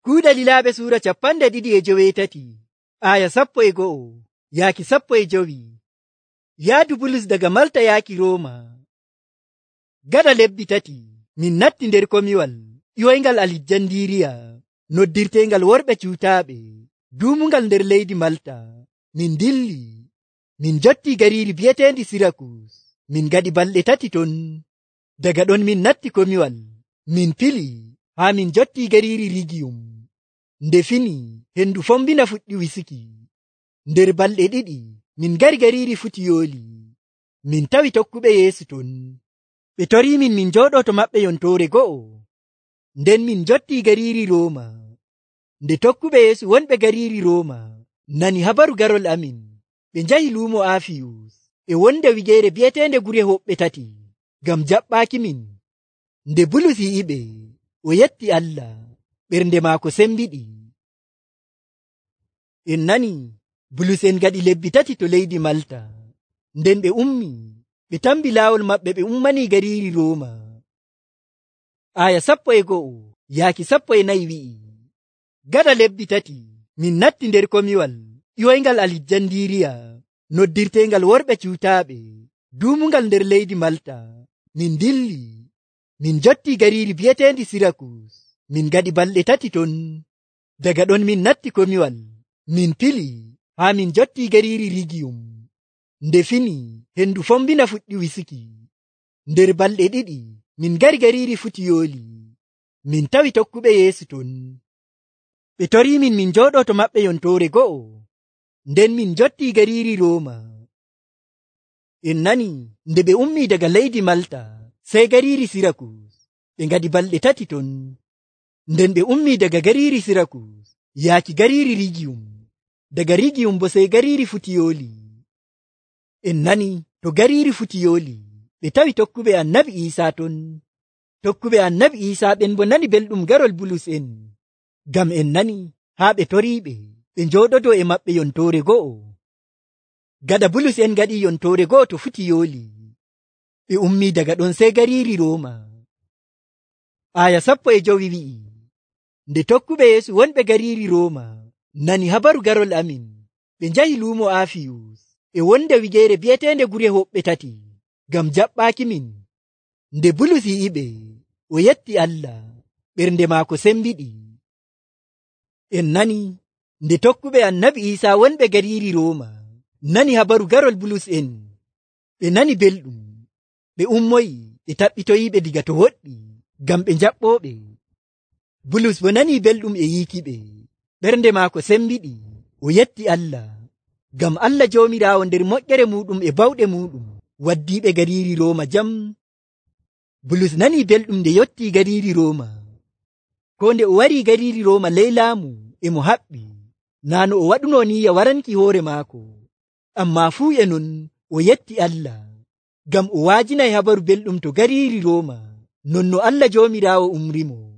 Kuuɗe Lilaaɓe suura 217 aya 11 yaaki 15. Yaadu Bulus daga Malta yaaki Rooma. Gaɗa lebbi 3 min natti nder komiwal ƴoyngal Alijandiriya noddirteengal worɓe cuutaaɓe duumungal nder leydi Malta. Min dilli min jotti gariiri bi'eteendi Sirakus. Min gaɗi balɗe 3 ton. Daga ɗon min natti komiwal min pili haa min jotti gariiri Rigiyum. Nde fini hendu fombina fuɗɗi wisuki. Nder balɗe 2 min gari gariiri Futiyooli. Min tawi tokkuɓe Yeesu ton. Ɓe torii min jooɗoo to maɓɓe yontoore go'o. Nden min jotti gariiri Rooma. Nde tokkuɓe Yeesu wonɓe gariiri Rooma nani habaru garol amin, ɓe njahi luumo Aafiyus e wonde wigeere bi'eteende Gure Hoɓɓe 3 ngam jaɓɓaaki min. Nde Bulus yi'iɓe, o yetti Allah, ɓernde maako sembiɗi. En nani Bulus en gaɗi lebbi 3 to leydi Malta. Nden ɓe ummi ɓe tambi laawol maɓɓe ɓe ummanii gariiri Rooma. Aya 11 yaaki 14 wi'i, gaɗa lebbi 3 min natti nder komiwal ƴoyngal Alijandiriya noddirteengal worɓe cuutaaɓe duumungal nder leydi Malta. Min dilli min jotti gariiri bi'eteendi Sirakus. Min gaɗi balɗe 3 ton. Daga ɗon min natti komiwal min pili haa min jotti gariiri Rigiyum. Nde fini hendu fombina fuɗɗi wisuki. Nder balɗe 2 min gari gariiri Futiyooli. Min tawi tokkuɓe Yeesu ton. Ɓe torii min jooɗoo to maɓɓe yontoore go'o. Nden min jotti gariiri Rooma. En nani nde ɓe ummii daga leydi Malta sey gariiri Sirakus. Ɓe ngaɗi balɗe 3 ton. Nden ɓe ummii daga gariiri Sirakus yaaki gariiri Rigiyum. Daga Rigiyum bo sey gariiri Futiyooli. En nani to gariiri Futiyooli ɓe tawi tokkuɓe Annabi Iisaa ton. Tokkuɓe Annabi Iisaa ɓen bo nani belɗum garol Bulus en. Ngam en nani haa ɓe toriiɓe ɓe njooɗodoo e maɓɓe yontoore go'o. Gaɗa Bulus en gaɗi yontoore go'o to Futiyooli, ɓe ummii daga ɗon sey gariiri Rooma. Aya 15 wi'i, nde tokkuɓe Yeesu wonɓe gariiri Rooma nani habaru garol amin, ɓe njahi luumo Aafiyus e wonde wigeere bi'eteende Gure Hoɓɓe 3 ngam jaɓɓaaki min. Nde Bulus yi'iɓe, o yetti Allah, ɓernde maako sembiɗi. En nani nde tokkuɓe Annabi Iisaa wonɓe gariiri Rooma nani habaru garol Bulus en, ɓe nani belɗum, ɓe ummoyi ɓe taɓɓitoyiiɓe diga to woɗɗi ngam ɓe jaɓɓooɓe. Bulus bo nani belɗum e yiikiɓe, ɓernde maako sembiɗi, o yetti Allah, ngam Allah Joomiraawo nder moƴƴere muuɗum e bawɗe muuɗum waddiiɓe gariiri Rooma jam. Bulus nani belɗum nde yottii gariiri Rooma. Ko nde o warii gariiri Rooma ley laamu e mo haɓɓi, naa no o waɗunoo niyya waranki hoore maako. Ammaa fuu e non o yetti Allah, ngam o waajinay habaru belɗum to gariiri Rooma, non no Allah Joomiraawo umrimo.